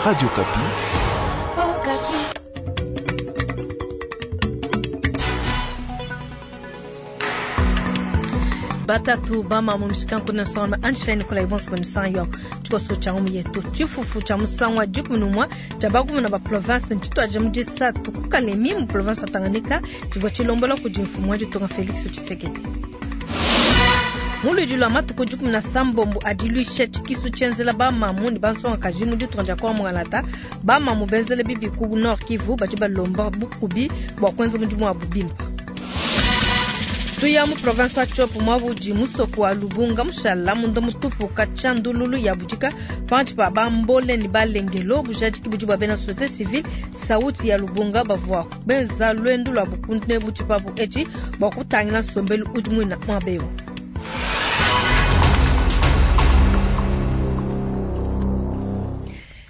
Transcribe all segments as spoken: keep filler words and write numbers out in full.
Radio Okapi. Batatu bama mu mishikanku na soma Einstein Nikolai Bonso misanyo tshikoso tsha mu yetu tshifufu tsha musangu dikumi numwa tsha baguvena ba province ntshituadija mu disatu ku Kalemi mu province ya Tanganyika tshivua tshilombola kudi mfumu wa ditunga Felix Tshisekedi. Muludi lwa matuku dikumi na sambombo adiluisha tshikisu tshienzela bamamu ne bansongakaji mu ditunga dia Kongo Mongala bamamu benzele bibi ku Nord Kivu badi balomba bukubi bua kuenza mudimu wabu bimpe. Tuya mu province ya Tshopo mwabudi musoko wa Lubunga mushala munda mutupu kachandululu ya budika pantu pa bambole ni balengelo bujadiki budi bwa bena société civile sauti ya Lubunga bavua benza lwendu lwa bukunde butipabu echi bwa kutangila nsombelu udi mwina mwabewo.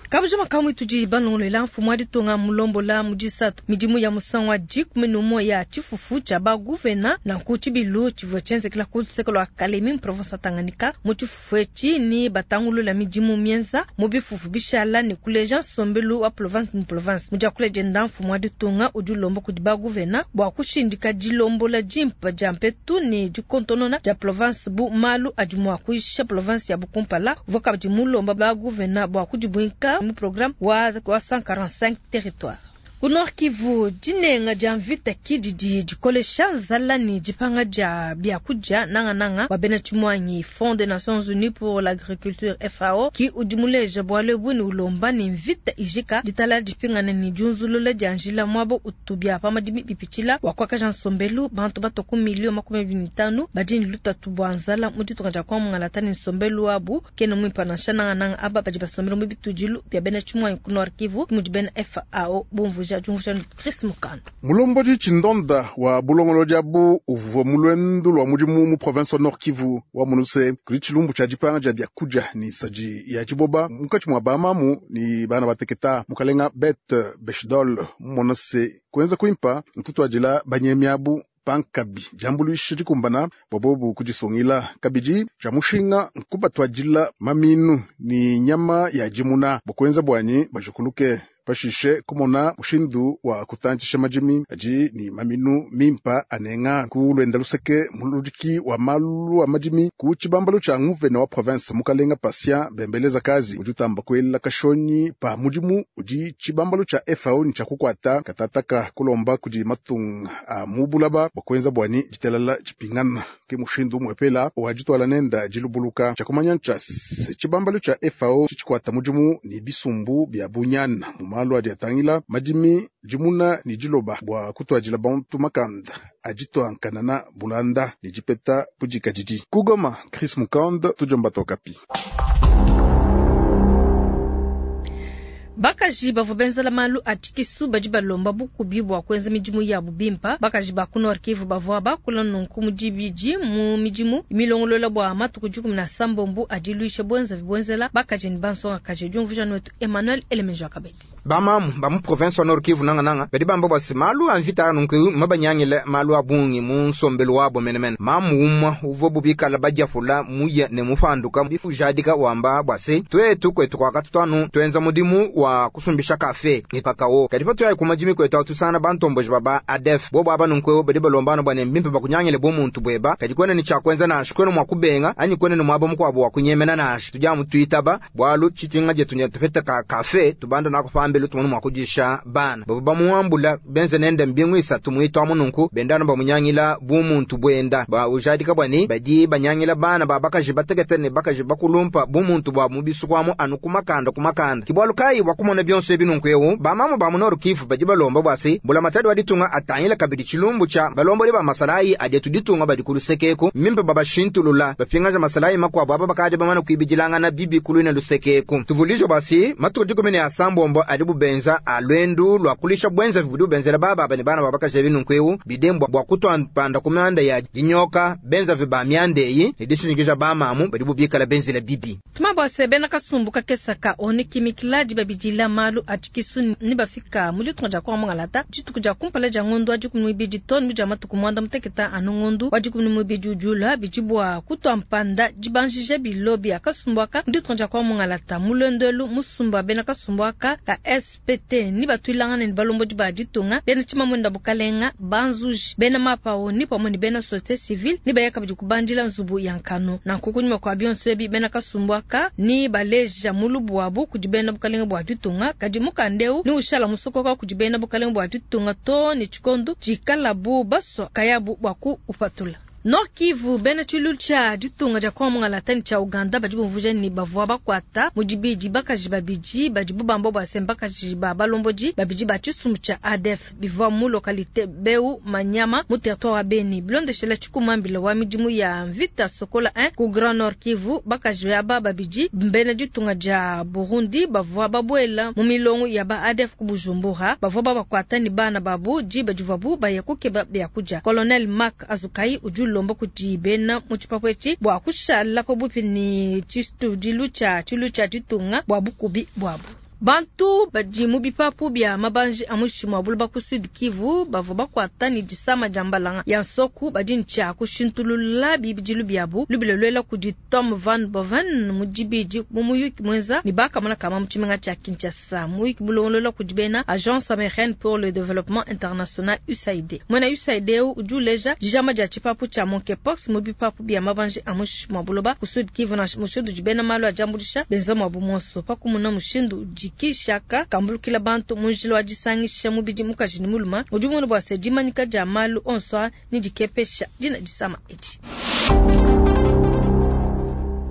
Kabujuma kamwe tudi balongolela mfumu wa ditunga mulombola mu disatu midimu ya musangu wa dikumi numwe ya tshifufu tsha baguvena nanku tshibilu tshivua tshienzekela ku luseke lua Kalemi mu province ya Tanganyika mu tshifufu etshi ni batangulula midimu mienza mu bifufu bishala ne kuleja nsombelu wa province mu province mu diakula dienda mfumu wa ditunga udi ulomba kudi baguvena bua kushindika dilombola dimpa dia mpetu ne dikontonona dia province bu malu adi mua kuisha province ya Bukumpala uvua kabidi mulomba baguvena bua kudibuinka mu programme wa cent quarante-cinq territoires. Ku Nord Kivu dinenga dia mvita kididi dikolesha nzala ni dipanga dia biakudia nangananga wa bena tshimwanyi Fonds des Nations Unies pour l'agriculture F A O ki udi muleja bualu ebu ni ulomba ni mvita ijika ditala dipingana ni diunzulula dia njila mwabo utubia pa madimi bipitshila wa kuakaja nsombelu bantu bato ku milio makumi abidi ne tanu badi ni lutatu bua nzala mu ditunga dia Kongo Mongala ni nsombelu wabu kena muimpa nansha nangananga aba badi basombela mu bitudilu bia bena tshimwanyi ku Nord Kivu mudi bena F A O bumvuja Chris Mukando. Mulomboji Chindonda wa bulongolo jabu uvua mulwendu lwa mudimu mu province wa Nord Kivu wa munuse kuli tshilumbu tsha dipanga dia biakudia ni saji ya tshiboba munkatshi mua bamamu ni bana bateketa mukalenga Bet Beshdol monase kuenza kuimpa ntutuadila banyemiabu pankabi jambuluisha dikumbana bobobu kudisungila kabidi ja mushinga nkubatwadila maminu ni nyama ya jimuna bokuenza bwanyi bajukuluke pashishe kumona mushindu wa kutantisha majimi aji ni maminu mimpa anenga ku lwenda luseke muludiki wa malu wa majimi ku tshibambalu tsha nguvena wa province mukalenga Patient bembeleza kazi ujutamba kwela kashonyi pa mudimu udi tshibambalu tsha F A O ni tsha kukwata katataka kulomba kudi matunga a mubulaba bokwenza bwani ditelala tshipingana ke mushindu mwepela wajitwala nenda jilubuluka tsha kumanya ntsha tshibambalu tsha F A O tshikwata mudimu ni bisumbu bya bunyana malu adi atangila madimi jimuna ni jiloba bua kutwadila bantu makanda ajitwankanana bulanda ni jipeta budikadidi. Kugoma Chris Mukand tujomba Tokapi. Bakaji bavua benzela malu a tshikisu badi balomba bukubi bua kuenza midimu yabu bimpa. Bakaji ba ku Nord Kivu bavua bakula nunku mu dibidi mu midimu milongolola bua matuku dikumi na sambombo adiluisha bwenza bwenzela bakaji ni bansongakaji. Diumvuja wetu Emmanuel Elemenjo Akabedi. Bamamu ba mu province wa Nord Kivu nanga nanga badi bamba bua se malu a mvita nunku mabanyangile malu a bungi mu nsombelu wabo menemene. Mamu umwa uvua bubikala badiafula muye ne mupanduka bifujadika wamba bua se twetu kwetu kwakatutanu twenza mudimu wa kusumbisha kafe ni kakao kadi patu ya kumajimi kwetu atusana bantomboji baba adef bobo aba nunku badi balombana bwa mbimpe bakunyangile bo muntu bweba kadi kwene ni chakwenza na shikwene mwa kubenga anyi kwene ni mwabo mkwabo wa kunyemena na shi tuja mutuitaba bwalu chitinga jetu nya tufeta ka kafe tubanda na kufambelu tumunu mwa kujisha bana bobo bamuambula benze nende mbingu isatu muitu amununku bendano bamunyangila bu muntu bwenda ba ujadika bwani badi banyangila bana babakaji batekete ne bakaji bakulumpa bu muntu bwa mubisukwamu anu kumakanda kumakanda kibwalu kai wakumona byonse binunku ewu bamamu ba mu Nord Kivu badi balomba bwasi bula matadi wa ditunga atangila kabidi tshilumbu tsha balomboli ba masalayi ajetu ditunga badi kulusekeku mimpe babashintulula bapingaja masalayi makwabo aba bakadi bamana kuibidilangana bibi kulwina lusekeku tuvulijo basi matuku dikumi ne asambombo adi bubenza alwendu lwa kulisha bwenza budi benzela baba bane bana babakaja binunku ewu bidembwa bwa kutwapanda ku myanda ya dinyoka benza viba myandeyi ne dishinikija bamamu badi bubikala benzela bibi tumabwase bena kasumbu kakesaka oni kimikiladi babidi malu a tshikisu ne bafika mu ditunga dia Kongo mungalata dituku dia kumpala dia ngondo wa dikumi ne muibidi too ne dia matuku muanda mutekete anu ngondo wa dikumi ne muibidi ujula bidi bua kutua mpanda dibanjija bilo bia kasumbu aka mu ditunga dia Kongo mungalata. Mu luendu elu musumba bena kasumbu aka ka S P T ni batuilangana ne balombodi ba ditunga, bena tshimamwenda bukalenga, banzuji, bena mapao ni pamwe ne bena société civile ni baya kabidi kubandila nzubu ya nkanu. Nanku kunyima kua bionso ebi, bena kasumbu aka ni baleja mulubu wabu kudi bena bukalenga bua ditunga, kadi mukanda eu ni ushala musokoka kudi bena bukalenga bua ditunga too ne tshikondo tshikalabu basua kayabu bua kuupatula. Nord Kivu, bena tshilu tshia ditunga dia Kongo mungalata ne tshia Uganda badi bumvuja ne bavua bakuata mu dibidi bakaji babidi badi bubamba bua se mbakaji ba balombodi babidi ba tshisumbu tshia A D F bivua mu localité Beu Manyama mu territoire wa Beni. Bilondeshela tshikumambila wa midimu ya mvita Sokola un ku Grand Nord Kivu, bakaji aba babidi bena ditunga dia Burundi bavua babuela mu milongo ya ba A D F ku Bujumbura, bavua babakuata ne bana babu diba divuabu baya kukeba biakudia. Colonel Mark Azukai udi ulomba kudi bena mu tshipapu etshi bua kushala pabuipi ne tshitudilu tshia tshilu tshia ditunga bua bukubi buabu. Bantu badi mu bipapu bia mabanji a muinshi mua buloba ku Sud Kivu bavua bakuata ne disama dia mbalanga ya nsoku badi ne tshia kushintulula bibidilu biabu. Lubila luela kudi Tom Van Boven mu dibidi mu muyuki muenza ne bakamona kama mu tshimenga tshia Kinshasa, muyuki bulongolola kudi bena Agence américaine pour le développement international U S A I D. Muena U S A I D eu udi uleja dijama dia tshipapu tshia monkeypox mu bipapu bia mabanji a muinshi mua buloba ku Sud Kivu, na mushindu udi bena malu a diambuluisha benza muabu muonso pa kumuna mushindu udi kishaka kambulukila bantu mu njila wa disangisha mubidi mukaji ne mulume. Udi mumona bua se dimanyika dia malu onso ne dikepesha dina disama edi.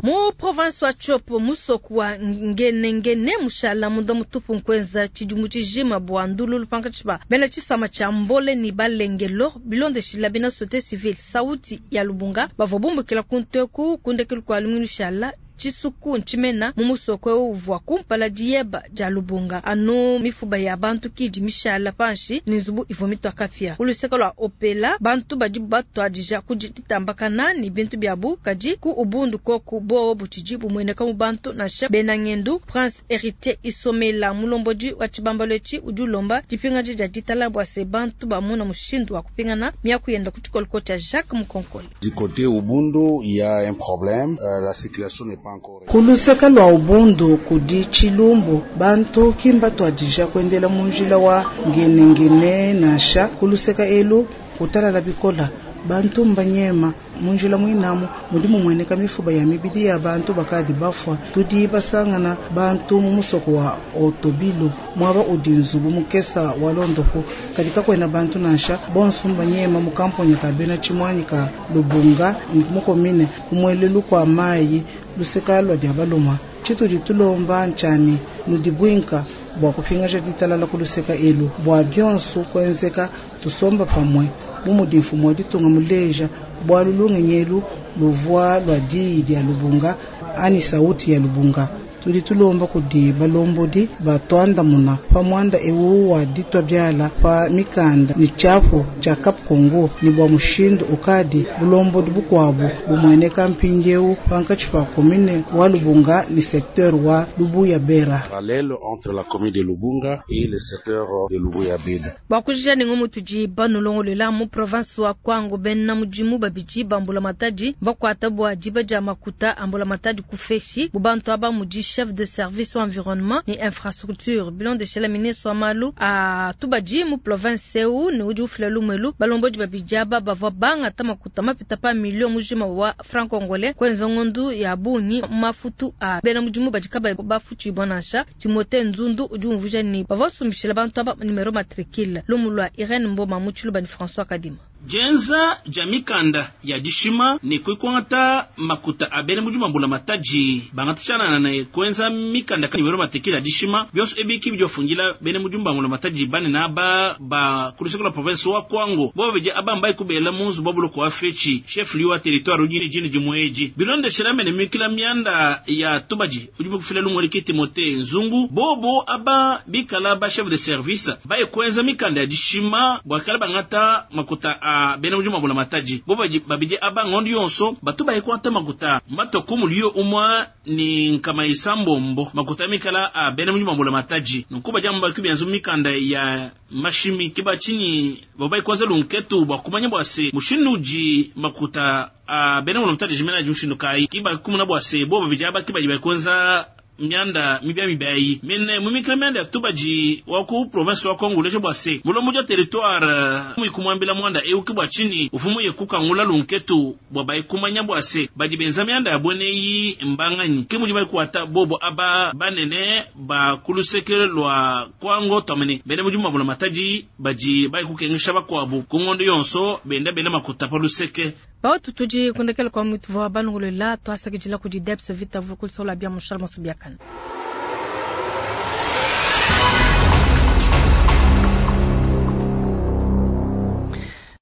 Mu province wa Tshopo, musoku wa Ngenengene mushala munda mutupu nkuenza tshidimu tshijima bua ndululu pankatshi pa bena tshisama tshia Mbole ne Balengelo. Bilondeshila bena société civile Sauti ya Lubunga bavua bumbukila ku nteku kundekelu kua lumingu lushala, tshisuku ntshimena mu musoko eu uvua kumpala diyeba dia Lubunga, anu mifuba ya bantu kidi mishala panshi ne nzubu ivua mitua kapia. Ku luseke lua Opela, bantu badi batuadija ku ditambakana ne bintu biabu, kadi ku Ubundu koku bowo butshidi bumueneka mu bantu nansha bena ngendu. Prince Héritier Isomela, mulombodi wa tshibambalu etshi, udi ulomba dipingaji dia ditala bua se bantu bamona mushindu wa kupingana miaku yenda ku tshikoloko tshia Jacques Mukonkole. Du côté Ubundu, il y a un problème, euh, la circulation n'est pas encore. Kuluseka lwa Ubundu kudi tshilumbu, bantu kimba tuadija kuendela mu njila wa ngenengene nansha kuluseka elu kutalala bikola, bantu mbanyema mu njila muinamu mudi mumueneka mifuba ya mibidi ya bantu bakadi bafua. Tudi basangana bantu mu musoko wa Otobilo muaba udi nzubu mukesa wa londopo, kadi kakuena bantu nansha, bonso mbanyema mu kamponya ka bena tshimuanyi ka Lubunga mukomine kumuelelu kua mayi luseka lua dia baluma. Tshitudi tulomba ntshani nudibwinka bua kupingaja ditalala kuluseka elu bua bionso kuenzeka tusomba pamue bu mudi mfumu wa ditunga muleja bualu lungenyi elu luvua lua diyi dia Lubunga ani sauti ya Lubunga. Tudi tulomba kudi balombodi batuandamuna pa muanda ewu wa ditua biala pa mikanda ne tshiapu tshia Cap Congo ne bua mushindu ukadi bulombodi bukuabu bumueneka mpindieu pankatshi pa commune wa Lubunga ne secteur wa Lubuya Bera. Parallèle entre la commune de Lubunga et le secteur de Lubuya Bera. Bua kujija ne ngumu tudi banolongolola, mu province wa Kwango bena mudimu babidi ba mbulamatadi bakuata bua diba dia makuta a mbulamatadi ku feshi. Bu bantu aba mudi chef de service wa environnement ne infrastructure. Bilondeshela ministre wa malu a tubadi mu province eu ne udi ufila lumelu, balombodi babidi aba bavua bangata makuta mapita pa milio mujima wa franc congolais kuenza ngondu ya bungi mafutu a bena mudimu badi kabayi bafutshibua nansha. Timote Nzundu udi umvuija ne bavua basumbishila bantu aba numéro matricule. Lumu lua Irene Mboma mu Tshiluba ne François Kadima. Dienza dia mikanda ya dishima ne kuikwangata makuta a bena mudimu ambula matadi bangata tshianana ne kuenza mikanda ka numéro matricule ya dishima, bionso ebi ki bidi bafungila bena mudimu bambula matadi banene aba ba ku luseke lua province wa Kwango. Bo babidi aba mbai kubela mu nzubu wa buloko wa Fetshi, chef lieu wa territoire udi ne dina dimue edi. Bilondeshela mene mikila mianda ya tubadi udi bukufila lumue ki Timote Nzungu, bobo aba bikala ba chef de service baye kuenza mikanda ya dishima bua kala bangata makuta a a bena mudimu wa mbulamatadi. Bo badi babidi aba ngondo yonso batu bayikuata makuta matue ku muliyo umue ne nkama isambombo makuta mikala a bena mudimu wa mbulamatadi. Nunku badi amu baki benza mikanda ya mashimi ke batshinyi bavua bayikuenza lunketu bua kumanya bua se mushindu udi makuta a bena mbulamatadi jimena adi mushindu kayi. Ke bakumuna bua se bo babidi aba ke badi bayikuenza mianda mibia mibiayi mene mumikila mianda ya tubadi wa ku province wa Kongo uleja bua se mulombodi wa territoire muikumuambila muanda eu ke bua tshinyi ufumu ye kukangula lunketu bua bayikumanya bua se badi benza mianda ya bueneyi mbanganyi ke mudi bayikuata bobo aba banene ba kuluseke lua Kwango twamene bena mudimu wa mbulamatadi badi bayikukengesha bakuabu ku ngondo yonso benda bela makuta pa luseke. Bautu tudi kundekela kwa mutu wa balongolela twasakidila kudi Debs Vita vukulisola bia mushala masu biakana.